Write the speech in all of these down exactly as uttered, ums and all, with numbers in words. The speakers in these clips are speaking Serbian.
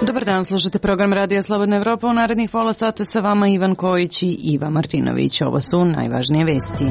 Dobar dan, slušate program Radija Slobodna Evropa. U narednih pola sata sa vama Ivan Kojić i Iva Martinović. Ovo su najvažnije vesti.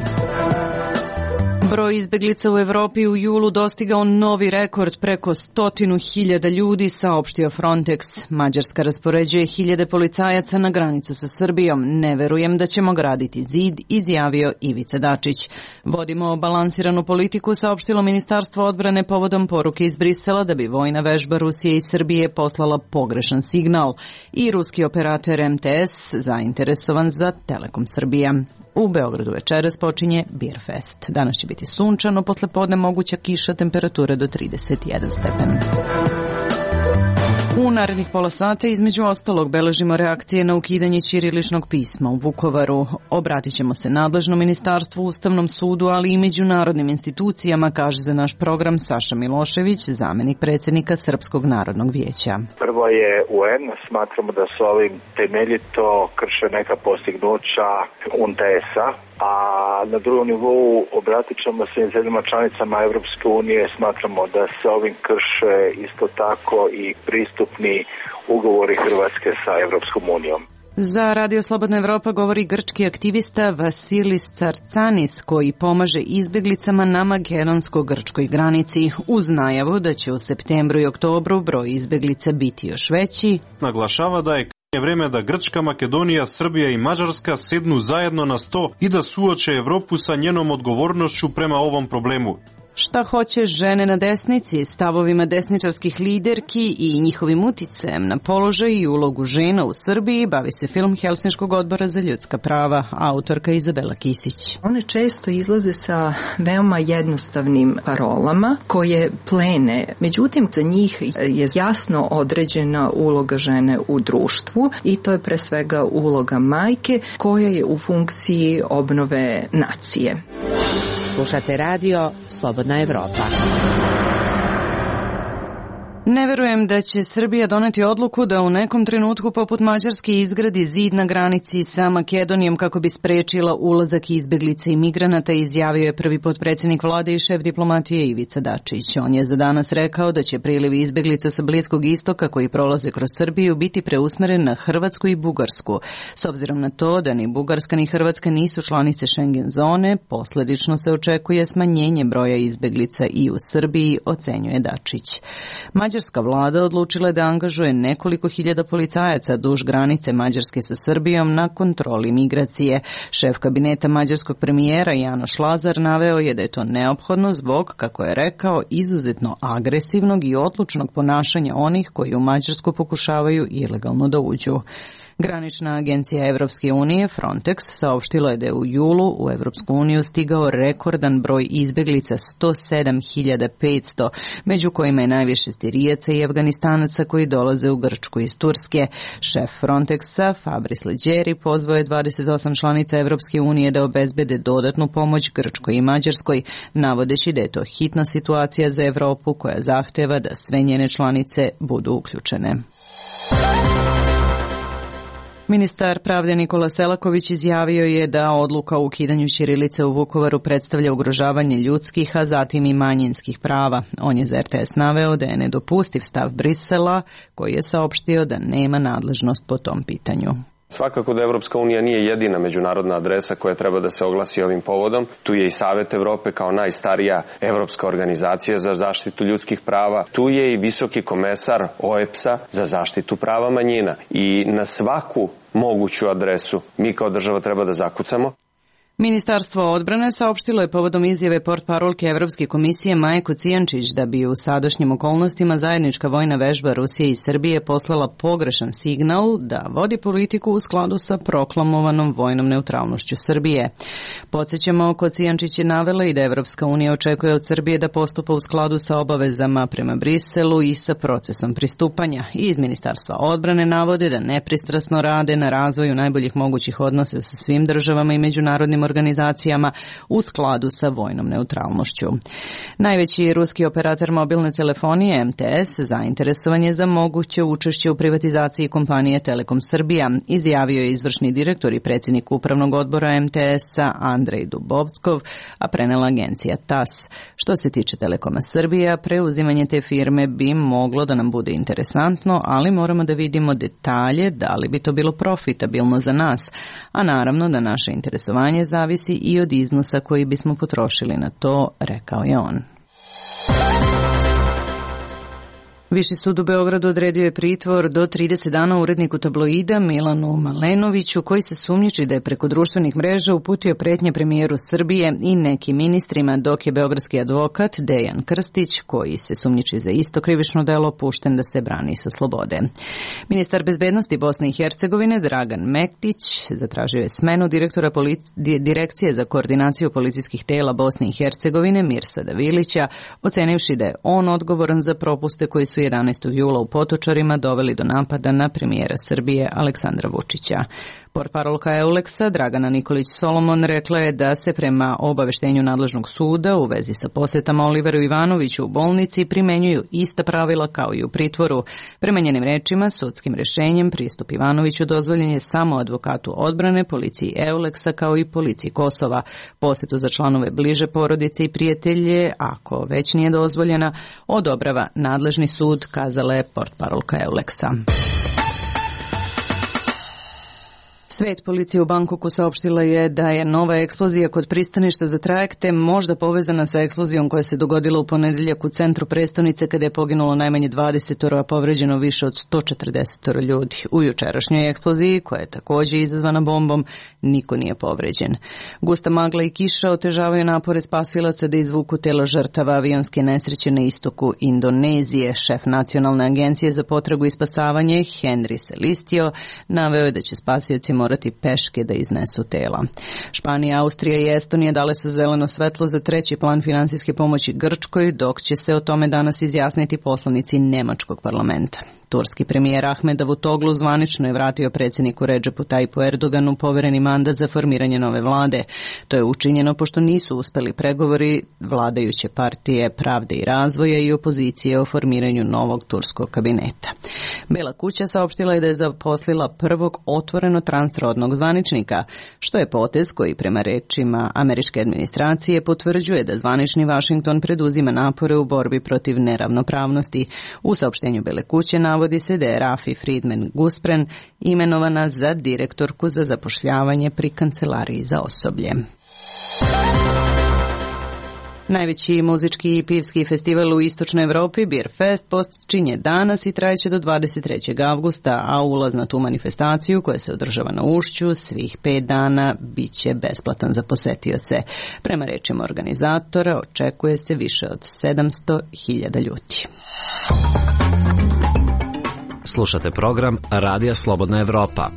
Broj izbeglica u Evropi u julu dostigao novi rekord, preko stotinu hiljada ljudi, saopštio Frontex. Mađarska raspoređuje hiljade policajaca na granicu sa Srbijom. Ne verujem da ćemo graditi zid, izjavio Ivica Dačić. Vodimo balansiranu politiku, saopštilo Ministarstvo odbrane povodom poruke iz Brisela da bi vojna vežba Rusije i Srbije poslala pogrešan signal. I ruski operator M T S zainteresovan za Telekom Srbija. U Beogradu večeras počinje Beer Fest. Danas će biti sunčano, posle podne moguća kiša, temperatura do trideset jedan stepen. U narednih pola sata između ostalog beležimo reakcije na ukidanje ćiriličnog pisma u Vukovaru. Obratit ćemo se nadležnom ministarstvu, Ustavnom sudu, ali i međunarodnim institucijama, kaže za naš program Saša Milošević, zamenik predsjednika Srpskog narodnog vijeća. Prvo je U N, smatramo da su ovim temeljito krše neka postignuća U N T S-a, a na drugom nivou obratit ćemo se zemljama članicama Evropske unije, smatramo da se ovim krše isto tako i pristupni ugovori Hrvatske sa Evropskom unijom. Za Radio Slobodna Evropa govori grčki aktivista Vasilis Tsartsanis, koji pomaže izbjeglicama na makedonsko-grčkoj granici, uz najavu da će u septembru i oktobru broj izbjeglica biti još veći. Naglašava da je vreme da Grčka, Makedonija, Srbija i Mađarska sednu zajedno na sto i da suoče Evropu sa njenom odgovornošću prema ovom problemu. Šta hoće žene na desnici, stavovima desničarskih liderki i njihovim uticajem na položaj i ulogu žena u Srbiji, bavi se film Helsinškog odbora za ljudska prava, autorka Izabela Kisić. One često izlaze sa veoma jednostavnim parolama koje plene, međutim za njih je jasno određena uloga žene u društvu i to je pre svega uloga majke koja je u funkciji obnove nacije. Slušate radio Slobodna Evropa. Ne verujem da će Srbija doneti odluku da u nekom trenutku poput Mađarske izgradi zid na granici sa Makedonijom kako bi sprečila ulazak izbeglica i migranata, izjavio je prvi potpredsjednik vlade i šef diplomatije Ivica Dačić. On je za danas rekao da će priliv izbeglica sa Bliskog istoka koji prolaze kroz Srbiju biti preusmeren na Hrvatsku i Bugarsku. S obzirom na to da ni Bugarska ni Hrvatska nisu članice Schengen zone, posljedično se očekuje smanjenje broja izbeglica i u Srbiji, ocenjuje Dačić. Mađarska vlada odlučila je da angažuje nekoliko hiljada policajaca duž granice Mađarske sa Srbijom na kontroli migracije. Šef kabineta mađarskog premijera Janoš Lazar naveo je da je to neophodno zbog, kako je rekao, izuzetno agresivnog i odlučnog ponašanja onih koji u Mađarsku pokušavaju ilegalno da uđu. Granična agencija Evropske unije Frontex saopštila je da je u julu u Evropsku uniju stigao rekordan broj izbeglica sto sedam hiljada petsto, među kojima je najviše Sirijaca i Afganistanaca koji dolaze u Grčku iz Turske. Šef Frontexa Fabrice Leggeri pozvao je dvadeset osam članica Evropske unije da obezbede dodatnu pomoć Grčkoj i Mađarskoj, navodeći da je to hitna situacija za Evropu koja zahteva da sve njene članice budu uključene. Ministar pravde Nikola Selaković izjavio je da odluka o ukidanju ćirilice u Vukovaru predstavlja ugrožavanje ljudskih, a zatim i manjinskih prava. On je za R T S naveo da je nedopustiv stav Brisela, koji je saopštio da nema nadležnost po tom pitanju. Svakako da Evropska unija nije jedina međunarodna adresa koja treba da se oglasi ovim povodom. Tu je i Savet Evrope kao najstarija evropska organizacija za zaštitu ljudskih prava. Tu je i visoki komesar O E P S-a za zaštitu prava manjina. I na svaku moguću adresu mi kao država treba da zakucamo. Ministarstvo odbrane saopštilo je povodom izjave portparolke Evropske komisije Maje Kocijančić da bi u sadašnjim okolnostima zajednička vojna vežba Rusije i Srbije poslala pogrešan signal da vodi politiku u skladu sa proklamovanom vojnom neutralnošću Srbije. Podsjećamo, Kocijančić je navela i da Evropska unija očekuje od Srbije da postupa u skladu sa obavezama prema Briselu i sa procesom pristupanja. Iz Ministarstva odbrane navode da nepristrasno rade na razvoju najboljih mogućih odnosa sa svim državama i međunarodnim organizacijama u skladu sa vojnom neutralnošću. Najveći ruski operator mobilne telefonije M T S zainteresovan je za moguće učešće u privatizaciji kompanije Telekom Srbija, izjavio je izvršni direktor i predsjednik upravnog odbora M T S-a Andrej Dubovskov, a prenela agencija T A S. Što se tiče Telekoma Srbija, preuzimanje te firme bi moglo da nam bude interesantno, ali moramo da vidimo detalje da li bi to bilo profitabilno za nas, a naravno da naše interesovanje zavisi i od iznosa koji bismo potrošili na to, rekao je on. Viši sud u Beogradu odredio je pritvor do trideset dana uredniku tabloida Milanu Malenoviću, koji se sumnjiči da je preko društvenih mreža uputio pretnje premijeru Srbije i nekim ministrima, dok je beogradski advokat Dejan Krstić, koji se sumnjiči za isto krivično delo, pušten da se brani sa slobode. Ministar bezbednosti Bosne i Hercegovine Dragan Mektić zatražio je smenu direktora polic- Direkcije za koordinaciju policijskih tela Bosne i Hercegovine Mirsada Vilića, ocenivši da je on odgovoran za propuste koji su jedanaestog jula u Potočarima doveli do napada na premijera Srbije Aleksandra Vučića. Portparolka Euleksa Dragana Nikolić Solomon rekla je da se prema obaveštenju nadležnog suda u vezi sa posetama Oliveru Ivanoviću u bolnici primenjuju ista pravila kao i u pritvoru. Prema njenim rečima, sudskim rešenjem pristup Ivanoviću dozvoljen je samo advokatu odbrane, policiji Euleksa kao i policiji Kosova. Posetu za članove bliže porodice i prijatelje, ako već nije dozvoljena, odobrava nadležni sud, kazala je portparolka Euleksa. Svet policije u Bangkoku saopštila je da je nova eksplozija kod pristaništa za trajekte možda povezana sa eksplozijom koja se dogodila u ponedeljak u centru prestonice kada je poginulo najmanje dvadeset, a povređeno više od sto četrdeset ljudi. U jučerašnjoj eksploziji, koja je također izazvana bombom, niko nije povređen. Gusta magla i kiša otežavaju napore spasilaca da izvuku tela žrtava avionske nesreće na istoku Indonezije. Šef Nacionalne agencije za potragu i spasavanje Henry Celistio naveo je da će spasioci morati peške da iznesu tela. Španija, Austrija i Estonija dale su zeleno svetlo za treći plan finansijske pomoći Grčkoj, dok će se o tome danas izjasniti poslanici Nemačkog parlamenta. Turski premijer Ahmed Davutoglu zvanično je vratio predsjedniku Redžepu Tajipu Erdoganu povereni mandat za formiranje nove vlade. To je učinjeno pošto nisu uspeli pregovori vladajuće partije Pravde i razvoja i opozicije o formiranju novog turskog kabineta. Bela kuća saopštila je da je zaposlila prvog otvoreno transrodnog zvaničnika, što je potez koji prema rečima američke administracije potvrđuje da zvanični Vašington preduzima napore u borbi protiv neravnopravnosti. U saopštenju Bele kuće navodi se da je Rafi Friedman Guspren imenovana za direktorku za zapošljavanje pri Kancelariji za osoblje. Najveći muzički i pivski festival u istočnoj Evropi, Beer Fest, počinje danas i trajeće do dvadeset trećeg avgusta, a ulaz na tu manifestaciju, koja se održava na Ušću, svih pet dana bit će besplatan za posetioce. Prema rečima organizatora, očekuje se više od sedamsto hiljada ljudi. Slušate program Radija Slobodna Evropa.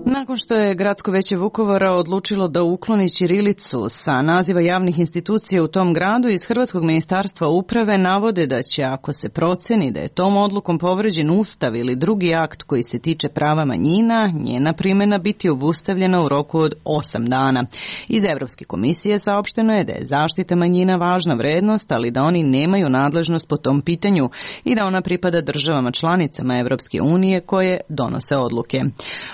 Nakon što je Gradsko veće Vukovara odlučilo da ukloni ćirilicu sa naziva javnih institucija u tom gradu, iz Hrvatskog ministarstva uprave navode da će, ako se proceni da je tom odlukom povređen Ustav ili drugi akt koji se tiče prava manjina, njena primjena biti obustavljena u roku od osam dana. Iz Evropske komisije saopšteno je da je zaštita manjina važna vrednost, ali da oni nemaju nadležnost po tom pitanju i da ona pripada državama članicama Evropske unije koje donose odluke.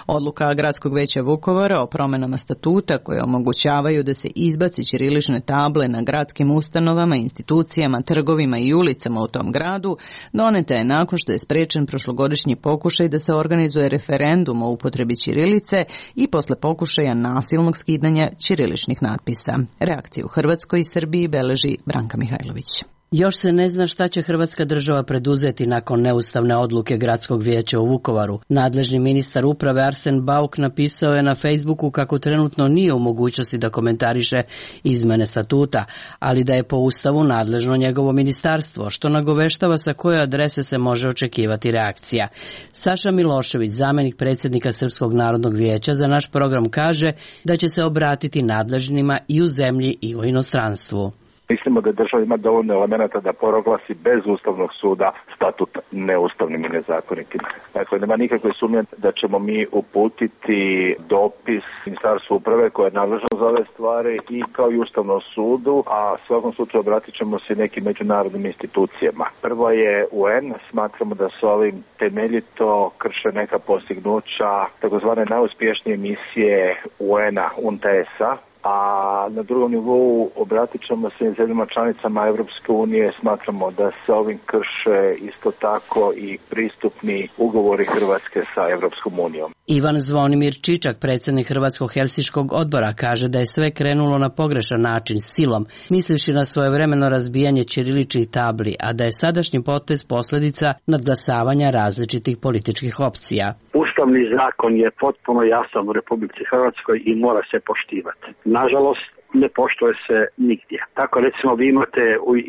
Odluka Gradskog veća Vukovara o promjenama statuta koje omogućavaju da se izbaci ćirilične table na gradskim ustanovama, institucijama, trgovima i ulicama u tom gradu doneta je nakon što je sprečen prošlogodišnji pokušaj da se organizuje referendum o upotrebi ćirilice i posle pokušaja nasilnog skidanja ćiriličnih natpisa. Reakciju u Hrvatskoj i Srbiji beleži Branka Mihajlović. Još se ne zna šta će Hrvatska država preduzeti nakon neustavne odluke Gradskog vijeća u Vukovaru. Nadležni ministar uprave Arsen Bauk napisao je na Facebooku kako trenutno nije u mogućnosti da komentariše izmene statuta, ali da je po Ustavu nadležno njegovo ministarstvo, što nagoveštava sa koje adrese se može očekivati reakcija. Saša Milošević, zamjenik predsjednika Srpskog narodnog vijeća, za naš program kaže da će se obratiti nadležnima i u zemlji i u inostranstvu. Mislimo da država ima dovoljno elemenata da proglasi bez Ustavnog suda statut neustavnim i nezakonitim. Dakle, nema nikakve sumnje da ćemo mi uputiti dopis Ministarstvu uprave koje je nadležno za ove stvari i kao i Ustavnom sudu, a svakom slučaju obratit ćemo se nekim međunarodnim institucijama. Prvo je U N, smatramo da su ovim temeljito krše neka postignuća takozvane najuspješnije misije U N-a, U N T S-a, a na drugom nivou obratit ćemo se zemljama članicama Evropske unije, smatramo da se ovim krše isto tako i pristupni ugovori Hrvatske sa Evropskom unijom. Ivan Zvonimir Čičak, predsjednik Hrvatskog helsinškog odbora, kaže da je sve krenulo na pogrešan način, silom, mislivši na svojevremeno razbijanje ćiriličnih tabli, a da je sadašnji potez posljedica nadglasavanja različitih političkih opcija. Ustavni zakon je potpuno jasan u Republici Hrvatskoj i mora se poštivati. Nažalost, ne poštuje se nigdje. Tako recimo vi imate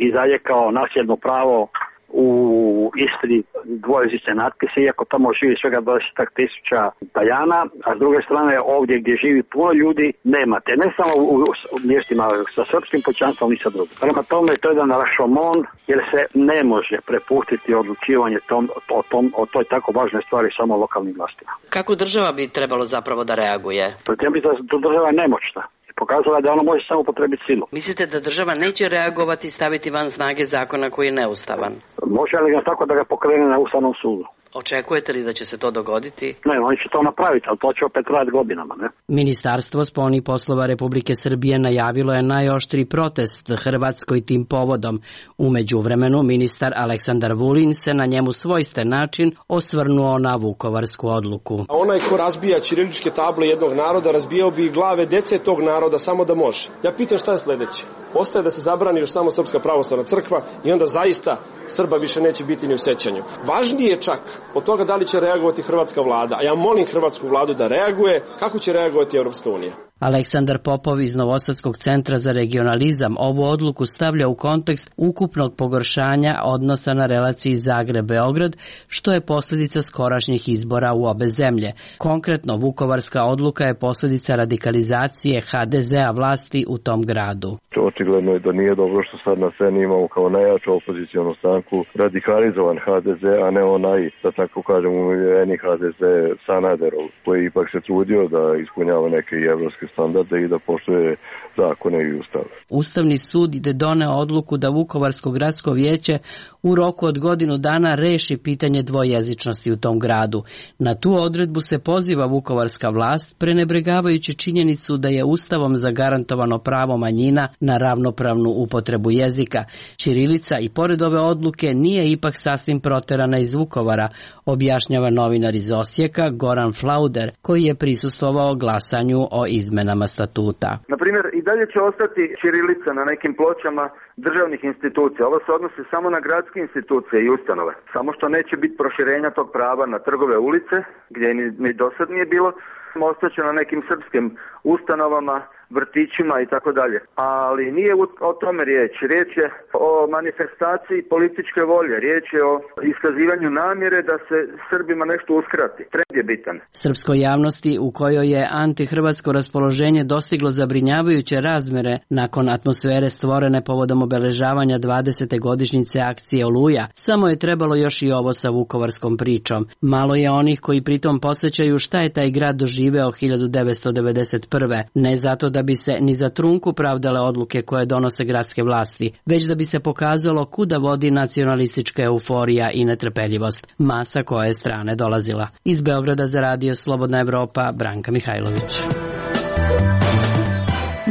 i dalje kao nasljedno pravo u Istri dvojezične natpise, iako tamo živi svega dvadeset tisuća Talijana, a s druge strane ovdje gdje živi puno ljudi nemate. Ne samo u, u mjestima sa srpskim pučanstvom ni sa drugim. Prema tome to je jedan rašomon jer se ne može prepustiti odlučivanje tom, o, tom, o toj tako važnoj stvari samo lokalnim vlastima. Kako država bi trebalo zapravo da reaguje? Pretem bi da država je nemoćna. Pokazala da ona može samo upotrebiti silu. Mislite da država neće reagovati i staviti van snage zakona koji je neustavan? Može li ga tako da ga pokrene na Ustavnom sudu? Očekujete li da će se to dogoditi? Ne, oni će to napraviti, ali to će opet trajati godinama, ne? Ministarstvo spoljnih poslova Republike Srbije najavilo je najoštriji protest Hrvatskoj tim povodom. U međuvremenu ministar Aleksandar Vulin se na njemu svojsten način osvrnuo na vukovarsku odluku. Onaj ko razbija ćiriličke table jednog naroda, razbijao bi glave dece tog naroda samo da može. Ja pitam šta je sledeće? Ostaje da se zabrani još samo Srpska pravoslavna crkva i onda zaista Srba više neće biti ni u sećanju. Važnije je čak od toga da li će reagovati hrvatska vlada, a ja molim hrvatsku vladu da reaguje, kako će reagovati Evropska unija. Aleksandar Popov iz Novosadskog centra za regionalizam ovu odluku stavlja u kontekst ukupnog pogoršanja odnosa na relaciji Zagreb-Beograd, što je posljedica skorašnjih izbora u obe zemlje. Konkretno, vukovarska odluka je posljedica radikalizacije ha de zea vlasti u tom gradu. Očigledno je da nije dobro što sad na sceni imamo kao najjaču opozicijonu stranku radikalizovan ha de ze, a ne onaj, da tako kažem, umiveni ha de ze Sanaderov, koji ipak se trudio da ispunjava neke evropske standarde i da poštuje zakone i ustav. Ustavni sud je doneo odluku da Vukovarsko gradsko vijeće u roku od godinu dana reši pitanje dvojezičnosti u tom gradu. Na tu odredbu se poziva vukovarska vlast, prenebregavajući činjenicu da je Ustavom zagarantovano pravo manjina na ravnopravnu upotrebu jezika. Ćirilica i pored ove odluke nije ipak sasvim proterana iz Vukovara, objašnjava novinar iz Osijeka Goran Flauder, koji je prisustvovao glasanju o izmenama statuta. Na primjer, i dalje će ostati ćirilica na nekim pločama državnih institucija. Ovo se odnosi samo na gradske institucije i ustanove. Samo što neće biti proširenja tog prava na trgove, ulice, gdje ni, ni do sad nije bilo. Ostaće na nekim srpskim ustanovama, vrtićima i tako dalje. Ali nije o tome riječ. Riječ je o manifestaciji političke volje. Riječ je o iskazivanju namjere da se Srbima nešto uskrati. Trend je bitan. Srpskoj javnosti, u kojoj je antihrvatsko raspoloženje dostiglo zabrinjavajuće razmere nakon atmosfere stvorene povodom obeležavanja dvadesete godišnjice akcije Oluja, samo je trebalo još i ovo sa vukovarskom pričom. Malo je onih koji pritom podsjećaju šta je taj grad doživeo hiljadu devetsto devedeset prve. Ne zato da bi se ni za trunku pravdale odluke koje donose gradske vlasti, već da bi se pokazalo kuda vodi nacionalistička euforija i netrpeljivost, masa koje je strane dolazila. Iz Beograda za radio Slobodna Evropa, Branka Mihajlović.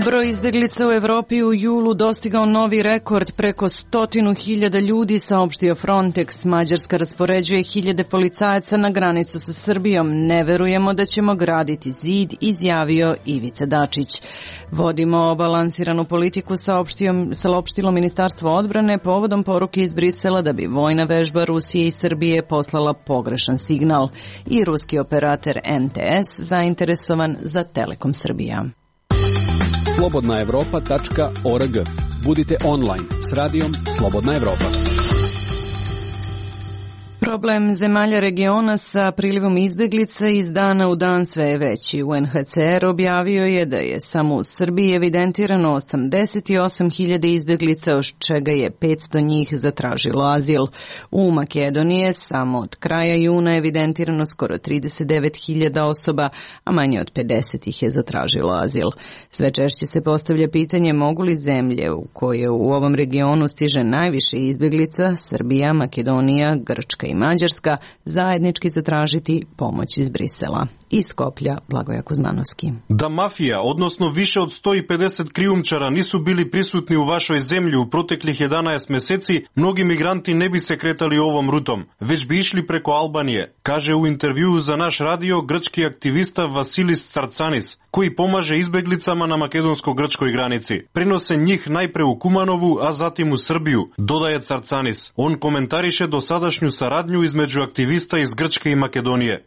Broj izbjeglica u Evropi u julu dostigao novi rekord, preko stotinu hiljada ljudi, saopštio Frontex. Mađarska raspoređuje hiljade policajaca na granicu sa Srbijom. Ne verujemo da ćemo graditi zid, izjavio Ivica Dačić. Vodimo balansiranu politiku, saopštilo Ministarstvo odbrane povodom poruke iz Brisela da bi vojna vežba Rusije i Srbije poslala pogrešan signal. I ruski operator en te es zainteresovan za Telekom Srbija. slobodna evropa tačka org. Budite online s radijom Slobodna Evropa. Problem zemalja regiona sa prilivom izbeglica iz dana u dan sve je veći. U en ha ce er objavio je da je samo u Srbiji evidentirano osamdeset osam hiljada izbeglica, od čega je petsto njih zatražilo azil. U Makedoniji je samo od kraja juna evidentirano skoro trideset devet hiljada osoba, a manje od pedeset ih je zatražilo azil. Sve češće se postavlja pitanje mogu li zemlje u koje u ovom regionu stiže najviše izbeglica, Srbija, Makedonija, Grčka i Mađarska, zajednički zatražiti pomoć iz Brisela. Iz Skoplja, Blagoja Kuzmanovski. Da mafija, odnosno više od sto pedeset krijumčara nisu bili prisutni u vašoj zemlji u proteklih jedanaest meseci, mnogi migranti ne bi se kretali ovom rutom, već bi išli preko Albanije, kaže u intervjuu za naš radio grčki aktivista Vasilis Carcanis, koji pomaže izbeglicama na makedonsko-grčkoj granici. Prenose njih najpre u Kumanovu, a zatim u Srbiju, dodaje Carcanis. On komentariše dosadašnju saradnju između aktivista iz Grčke i Makedonije.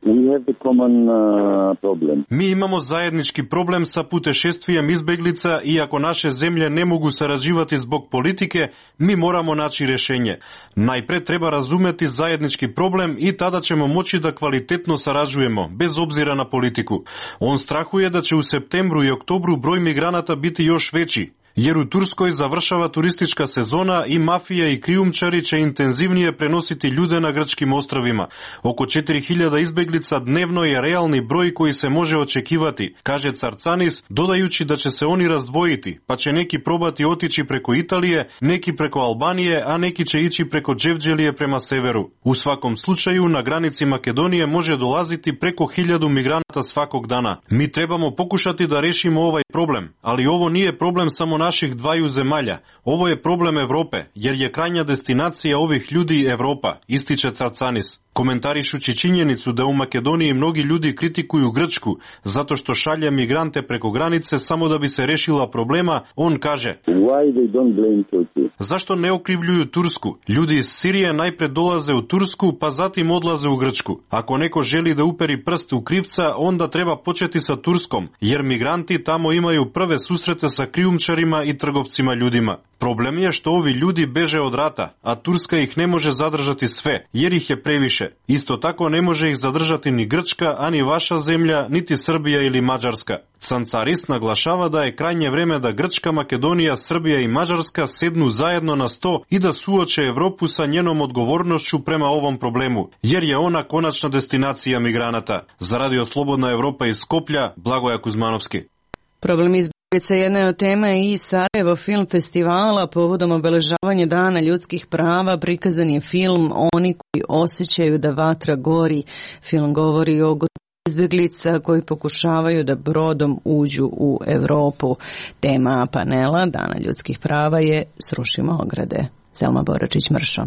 Mi imamo zajednički problem sa putešestvijem izbeglica i ako naše zemlje ne mogu sarađivati zbog politike, mi moramo naći rješenje. Najpre treba razumeti zajednički problem i tada ćemo moći da kvalitetno sarađujemo, bez obzira na politiku. On strahuje da će u septembru i oktobru broj migranata biti još veći, jer u Turskoj završava turistička sezona i mafija i krijumčari će intenzivnije prenositi ljude na grčkim ostrvima. Oko četiri hiljade izbeglica dnevno je realni broj koji se može očekivati, kaže Carcanis, dodajući da će se oni razdvojiti, pa će neki probati otići preko Italije, neki preko Albanije, a neki će ići preko Đevđelije prema severu. U svakom slučaju na granici Makedonije može dolaziti preko hiljadu migranata svakog dana. Mi trebamo pokušati da rešimo ovaj problem, ali ovo nije problem samo naših dvaju zemalja. Ovo je problem Evrope, jer je krajnja destinacija ovih ljudi Evropa, ističe Carcanis. Komentarišući činjenicu da u Makedoniji mnogi ljudi kritikuju Grčku zato što šalje migrante preko granice samo da bi se rešila problema, on kaže: zašto ne okrivljuju Tursku? Ljudi iz Sirije najpre dolaze u Tursku, pa zatim odlaze u Grčku. Ako neko želi da uperi prst u krivca, onda treba početi sa Turskom, jer migranti tamo imaju prve susrete sa krijumčarima i trgovcima ljudima. Problem je što ovi ljudi beže od rata, a Turska ih ne može zadržati sve, jer ih je previše. Isto tako ne može ih zadržati ni Grčka, ani vaša zemlja, niti Srbija ili Mađarska. Carcanis naglašava da je krajnje vreme da Grčka, Makedonija, Srbija i Mađarska sednu zajedno na sto i da suoče Evropu sa njenom odgovornošću prema ovom problemu, jer je ona konačna destinacija migranata. Za Radio Slobodna Evropa iz Skoplja, Blagoja Kuzmanovski. Problem izbjeglica jedna je od tema i Sarajevo film festivala. Povodom obeležavanja Dana ljudskih prava prikazan je film Oni koji osjećaju da vatra gori. Film govori o izbjeglica koji pokušavaju da brodom uđu u Evropu. Tema panela Dana ljudskih prava je Srušimo ograde. Selma Boračić-Mršo.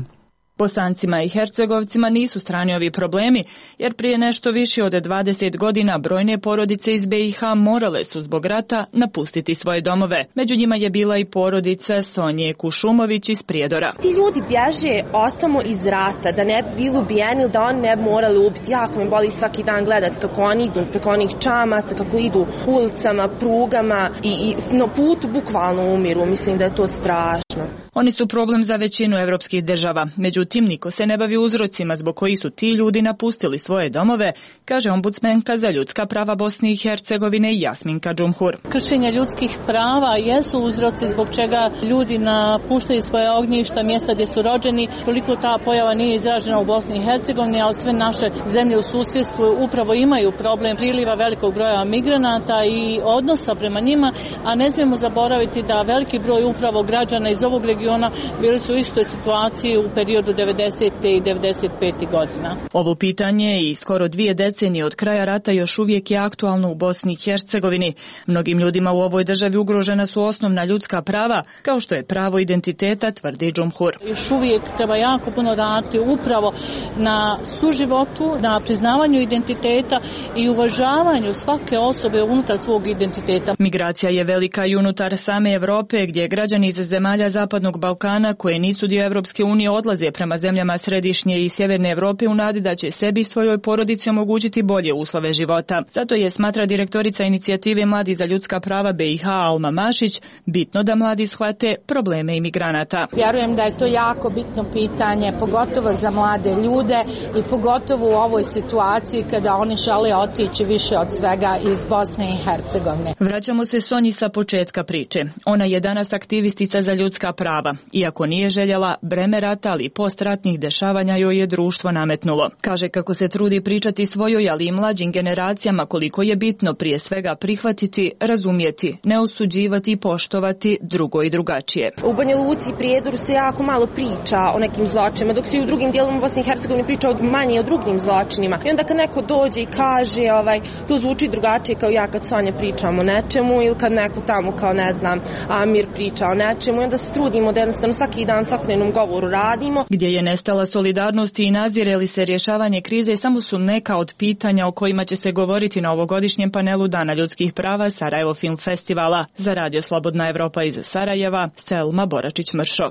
Bosancima i Hercegovcima nisu strani ovi problemi, jer prije nešto više od dvadeset godina brojne porodice iz be i ha morale su zbog rata napustiti svoje domove. Među njima je bila i porodica Sonje Kušumović iz Prijedora. Ti ljudi bježe otamo iz rata, da ne bi bili ubijeni ili da oni ne bi morali ubiti. Jako me boli svaki dan gledat kako oni idu preko onih čamaca, kako idu ulicama, prugama i, i na putu bukvalno umiru. Mislim da je to strašno. Oni su problem za većinu evropskih država. Međutim, niko se ne bavi uzrocima zbog koji su ti ljudi napustili svoje domove, kaže ombudsmenka za ljudska prava Bosne i Hercegovine Jasminka Džumhur. Kršenje ljudskih prava jesu uzroci zbog čega ljudi napuštaju svoje ognjišta, mjesta gdje su rođeni. Toliko ta pojava nije izražena u Bosni i Hercegovini, ali sve naše zemlje u susjedstvu upravo imaju problem priliva velikog broja migranata i odnosa prema njima, a ne smijemo zaboraviti da veliki broj upravo građana iz ovog regiona bili su u istoj situaciji u periodu devedesete i devedeset pete godina. Ovo pitanje i skoro dvije decenije od kraja rata još uvijek je aktualno u Bosni i Hercegovini. Mnogim ljudima u ovoj državi ugrožena su osnovna ljudska prava, kao što je pravo identiteta, tvrdi Džumhur. Još uvijek treba jako puno raditi upravo na suživotu, na priznavanju identiteta i uvažavanju svake osobe unutar svog identiteta. Migracija je velika i unutar same Evrope, gdje građani iz zemalja Zapadnog Balkana koje nisu dio Evropske unije odlaze prema prema zemljama središnje i sjeverne Evrope u nadi da će sebi i svojoj porodici omogućiti bolje uslove života. Zato je, smatra direktorica inicijative Mladi za ljudska prava B i H Alma Mašić, bitno da mladi shvate probleme imigranata. Vjerujem da je to jako bitno pitanje, pogotovo za mlade ljude i pogotovo u ovoj situaciji kada oni žele otići više od svega iz Bosne i Hercegovine. Vraćamo se Sonji sa početka priče. Ona je danas aktivistica za ljudska prava. Iako nije željela, breme rata, ali i postratnih dešavanja joj je društvo nametnulo. Kaže kako se trudi pričati svojoj, ali i mlađim generacijama koliko je bitno prije svega prihvatiti, razumjeti, ne osuđivati i poštovati drugo i drugačije. U Banja Luci i Prijedoru se jako malo priča o nekim zločinima, dok se i u drugim dijelovima Bosne i Hercegovine priča manje o drugim zločinima. I onda kad neko dođe i kaže, ovaj, to zvuči drugačije kao ja kad Sonja pričam o nečemu ili kad neko tamo kao ne znam Amir priča o nečemu i onda se trudimo da jednostavno svaki dan svakodnevnom govoru radimo. Gdje je nestala solidarnost i nazire li se rješavanje krize samo su neka od pitanja o kojima će se govoriti na ovogodišnjem panelu Dana ljudskih prava Sarajevo Film Festivala. Za Radio Slobodna Evropa iz Sarajeva, Selma Boračić-Mršo.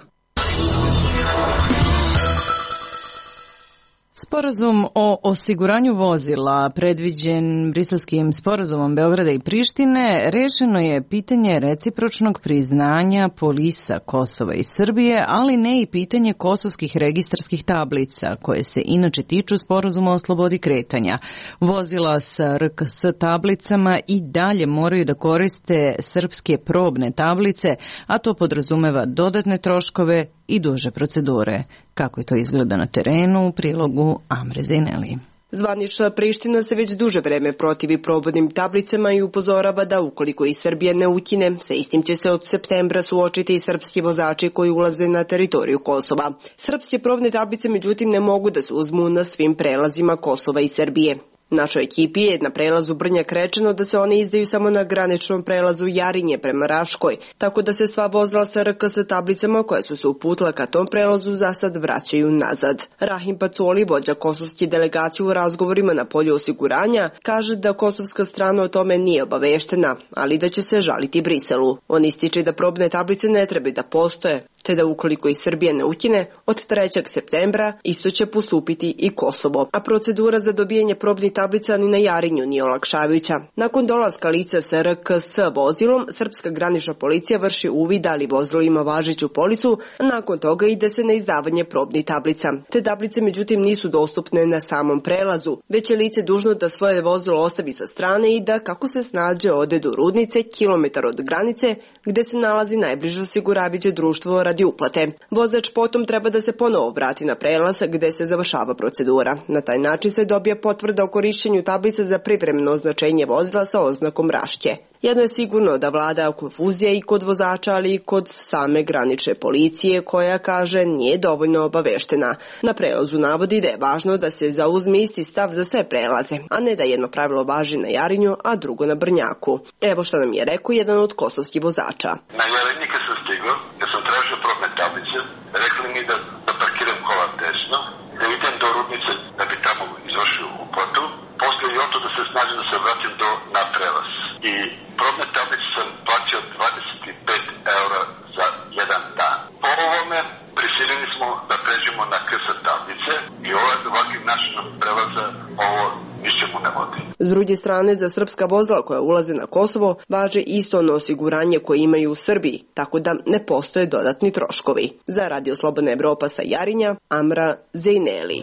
Sporazum o osiguranju vozila predviđen Briselskim sporazumom Beograda i Prištine rešeno je pitanje recipročnog priznanja polisa Kosova i Srbije, ali ne i pitanje kosovskih registarskih tablica koje se inače tiču sporazuma o slobodi kretanja. Vozila sa R K S tablicama i dalje moraju da koriste srpske probne tablice, a to podrazumeva dodatne troškove i duže procedure. Kako je to izgleda na terenu u prilogu Amre Zejneli. Zvanična Priština se već duže vreme protivi probodnim tablicama i upozorava da ukoliko i Srbija ne ukine, sa istim će se od septembra suočiti i srpski vozači koji ulaze na teritoriju Kosova. Srpske probne tablice međutim ne mogu da se uzmu na svim prelazima Kosova i Srbije. Našoj ekipi je na prelazu Brnjak rečeno da se one izdaju samo na graničnom prelazu Jarinje prema Raškoj, tako da se sva vozila sa R K S tablicama koja su se uputila ka tom prelazu za sad vraćaju nazad. Rahim Pacoli, vođa kosovske delegacije u razgovorima na polju osiguranja, kaže da kosovska strana o tome nije obaveštena, ali da će se žaliti Briselu. On ističe da probne tablice ne trebaju da postoje, te da ukoliko i Srbija ne ukine, od trećeg septembra isto će postupiti i Kosovo. A procedura za dobijanje probnih tablica ni na Jarinju nije olakšavajuća. Nakon dolaska lica sa R K S vozilom, srpska granična policija vrši uvid da li vozilo ima važeću policu, a nakon toga ide se na izdavanje probnih tablica. Te tablice međutim nisu dostupne na samom prelazu, već je lice dužno da svoje vozilo ostavi sa strane i da kako se snađe ode do Rudnice, kilometar od granice, gde se nalazi najbliže osiguravajuće društvo radi uplate. Vozač potom treba da se ponovo vrati na prelaz gde se završava procedura. Na taj način se dobija potvrda o korišćenju tablice za privremeno označenje vozila sa oznakom Rašće. Jedno je sigurno da vlada konfuzija i kod vozača, ali i kod same granične policije koja, kaže, nije dovoljno obaveštena. Na prelazu navodi da je važno da se zauzme isti stav za sve prelaze, a ne da jedno pravilo važi na Jarinju, a drugo na Brnjaku. Evo što nam je rekao jedan od kosovskih vozača. Na Jarinji kad sam stigao, kad sam tražio probne tablice, rekli mi da, da parkiram kola desno, da idem do Rudnice da bi tamo izvršio uplatu, poslije i oto da se snađem da se vratim do, na prelaz. I probne tablice sam plaćao dvadeset pet eura za jedan dan. Po ovome prisiljeni smo da pređemo na K S tablice i ovakvim načinom prelaza ovo ničemu ne vodi. S druge strane, za srpska vozila koja ulaze na Kosovo važe isto ono osiguranje koje imaju u Srbiji, tako da ne postoje dodatni troškovi. Za Radio Slobodna Evropa sa Jarinja, Amra Zejneli.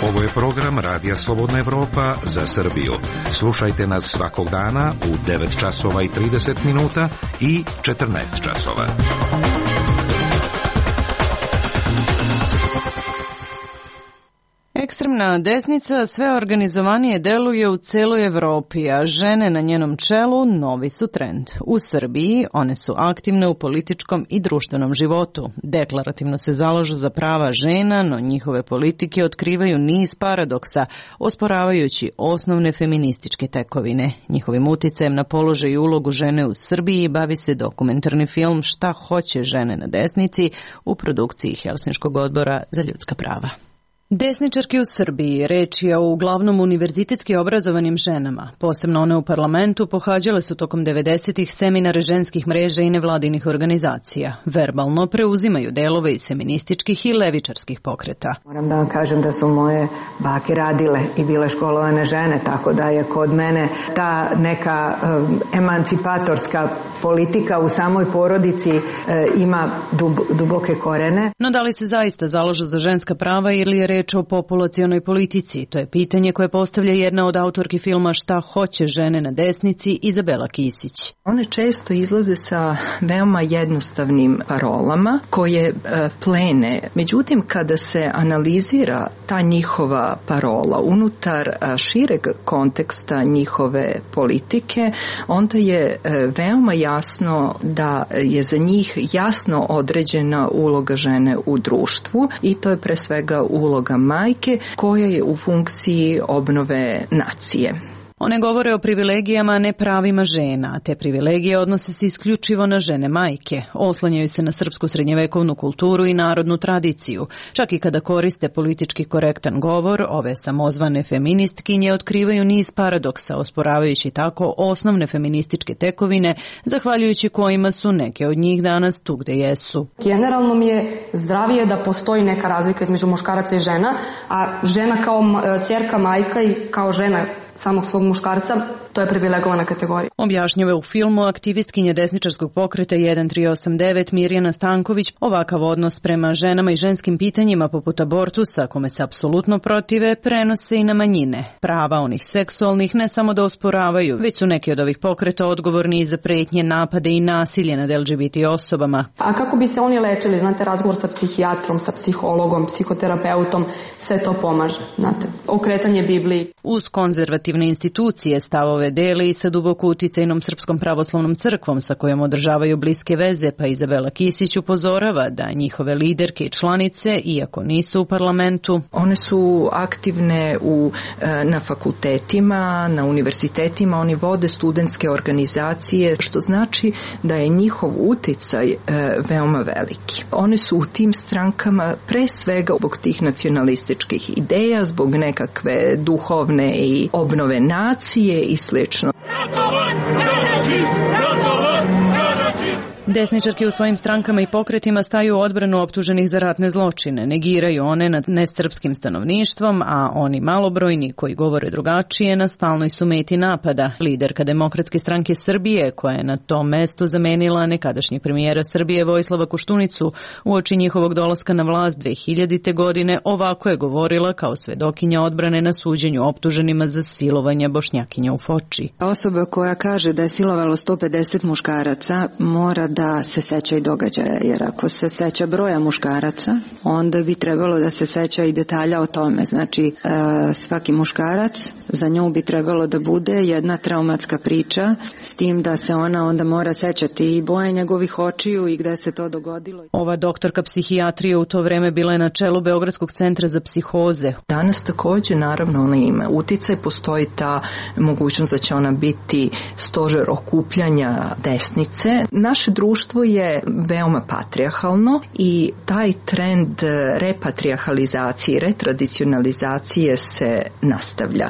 Ovo je program Radija Slobodna Evropa za Srbiju. Slušajte nas svakog dana u devet časova i trideset minuta i četrnaest časova. Ekstremna desnica sve organizovanije deluje u celoj Evropi, a žene na njenom čelu novi su trend. U Srbiji one su aktivne u političkom i društvenom životu. Deklarativno se zalažu za prava žena, no njihove politike otkrivaju niz paradoksa, osporavajući osnovne feminističke tekovine. Njihovim uticajem na položaj i ulogu žene u Srbiji bavi se dokumentarni film Šta hoće žene na desnici u produkciji Helsinškog odbora za ljudska prava. Desničarke u Srbiji, reč je o uglavnom univerzitetski obrazovanim ženama, posebno one u parlamentu, pohađale su tokom devedesetih seminare ženskih mreža i nevladinih organizacija. Verbalno preuzimaju delove iz feminističkih i levičarskih pokreta. Moram da vam kažem da su moje bake radile i bile školovane žene, tako da je kod mene ta neka um, emancipatorska politika u samoj porodici e, ima dub, duboke korene. No da li se zaista zalažu za ženska prava ili je reč o populacionoj politici? To je pitanje koje postavlja jedna od autorki filma Šta hoće žene na desnici, Izabela Kisić. One često izlaze sa veoma jednostavnim parolama koje e, plene. Međutim, kada se analizira ta njihova parola unutar a, šireg konteksta njihove politike, onda je e, veoma jasno da je za njih jasno određena uloga žene u društvu i to je pre svega uloga majke koja je u funkciji obnove nacije. One govore o privilegijama, a ne pravima žena. Te privilegije odnose se isključivo na žene majke. Oslanjaju se na srpsku srednjevekovnu kulturu i narodnu tradiciju. Čak i kada koriste politički korektan govor, ove samozvane feministkinje otkrivaju niz paradoksa, osporavajući tako osnovne feminističke tekovine, zahvaljujući kojima su neke od njih danas tu gde jesu. Generalno mi je zdravije da postoji neka razlika između muškaraca i žena, a žena kao ćerka, majka i kao žena samog svog muškarca, to je privilegovana kategorija. Objašnjava u filmu aktivistkinja desničarskog pokreta jedan tri osam devet Mirjana Stanković ovakav odnos prema ženama i ženskim pitanjima poput abortusa, kome se apsolutno protive, prenose i na manjine. Prava onih seksualnih ne samo da osporavaju, već su neki od ovih pokreta odgovorni i za pretnje, napade i nasilje nad L G B T osobama. A kako bi se oni lečili? Znate, razgovor sa psihijatrom, sa psihologom, psihoterapeutom, sve to pomaže. Znate, okretanje Bibliji. Uz konzervativne institucije stavove deli i sa duboko uticajnom Srpskom pravoslavnom crkvom sa kojom održavaju bliske veze, pa Izabela Kisić upozorava da njihove liderke i članice, iako nisu u parlamentu, one su aktivne u, na fakultetima, na univerzitetima, oni vode studentske organizacije, što znači da je njihov uticaj veoma veliki. One su u tim strankama pre svega zbog tih nacionalističkih ideja, zbog nekakve duhovne i obnove nacije i slično. Desničarke u svojim strankama i pokretima staju u odbranu optuženih za ratne zločine, negiraju one nad nesrpskim stanovništvom, a oni malobrojni koji govore drugačije na stalnoj su meti napada. Liderka Demokratske stranke Srbije, koja je na tom mestu zamenila nekadašnjeg premijera Srbije Vojislava Koštunicu uoči njihovog dolaska na vlast dve hiljadite. godine, ovako je govorila kao svedokinja odbrane na suđenju optuženima za silovanje Bošnjakinja u Foči. Osoba koja kaže da je silovalo sto pedeset muškaraca mora da se seća i događaja, jer ako se seća broja muškaraca, onda bi trebalo da se seća i detalja o tome. Znači, svaki muškarac, za nju bi trebalo da bude jedna traumatska priča, s tim da se ona onda mora sećati i boje njegovih očiju i gde se to dogodilo. Ova doktorka psihijatrije u to vreme bila je na čelu Beogradskog centra za psihoze. Danas takođe, naravno, ona ima uticaj, postoji ta mogućnost da će ona biti stožer okupljanja desnice. Naše društvo je veoma patrijarhalno i taj trend repatrijarhalizacije, retradicionalizacije se nastavlja.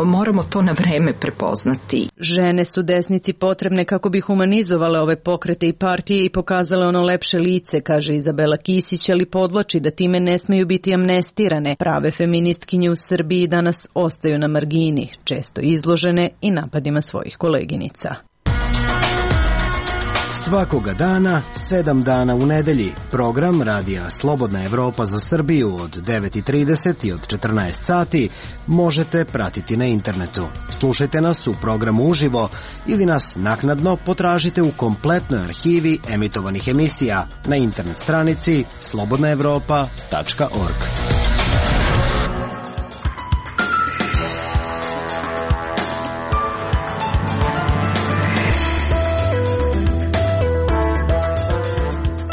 Moramo to na vreme prepoznati. Žene su desnici potrebne kako bi humanizovale ove pokrete i partije i pokazale ono lepše lice, kaže Izabela Kisić, ali podvlači da time ne smeju biti amnestirane. Prave feministkinje u Srbiji danas ostaju na margini, često izložene i napadima svojih koleginica. Svakoga dana, sedam dana u nedelji, program Radija Slobodna Evropa za Srbiju od devet i trideset i od četrnaest sati možete pratiti na internetu. Slušajte nas u programu uživo ili nas naknadno potražite u kompletnoj arhivi emitovanih emisija na internet stranici slobodna evropa tačka org.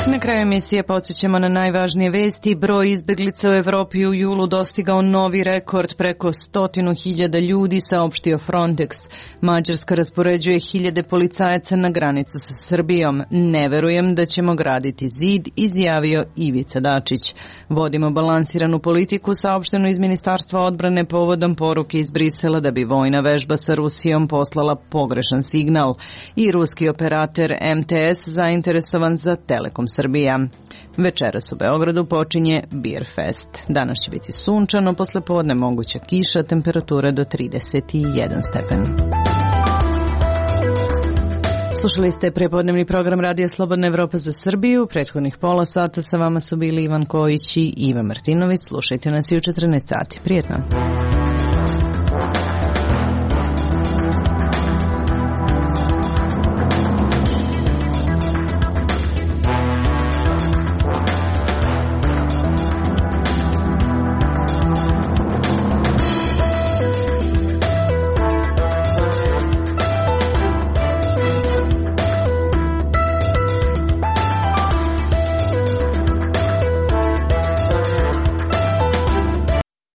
Na kraju kraju emisije podsjećamo na najvažnije vesti. Broj izbeglica u Evropi u julu dostigao novi rekord, preko stotinu hiljada ljudi, saopštio Frontex. Mađarska raspoređuje hiljade policajaca na granicu sa Srbijom. Ne verujem da ćemo graditi zid, izjavio Ivica Dačić. Vodimo balansiranu politiku, saopšteno iz Ministarstva odbrane povodom poruke iz Brisela da bi vojna vežba sa Rusijom poslala pogrešan signal. I ruski operator M T S zainteresovan za Telekom Srbija. Večeras u Beogradu počinje Beer Fest. Danas će biti sunčano, posle podne moguća kiša, temperatura do trideset jedan stepen. Slušali ste prepodnevni program Radija Slobodna Evropa za Srbiju. Prethodnih pola sata sa vama su bili Ivan Kojić i Iva Martinović. Slušajte nas i u četrnaest sati. Prijetno.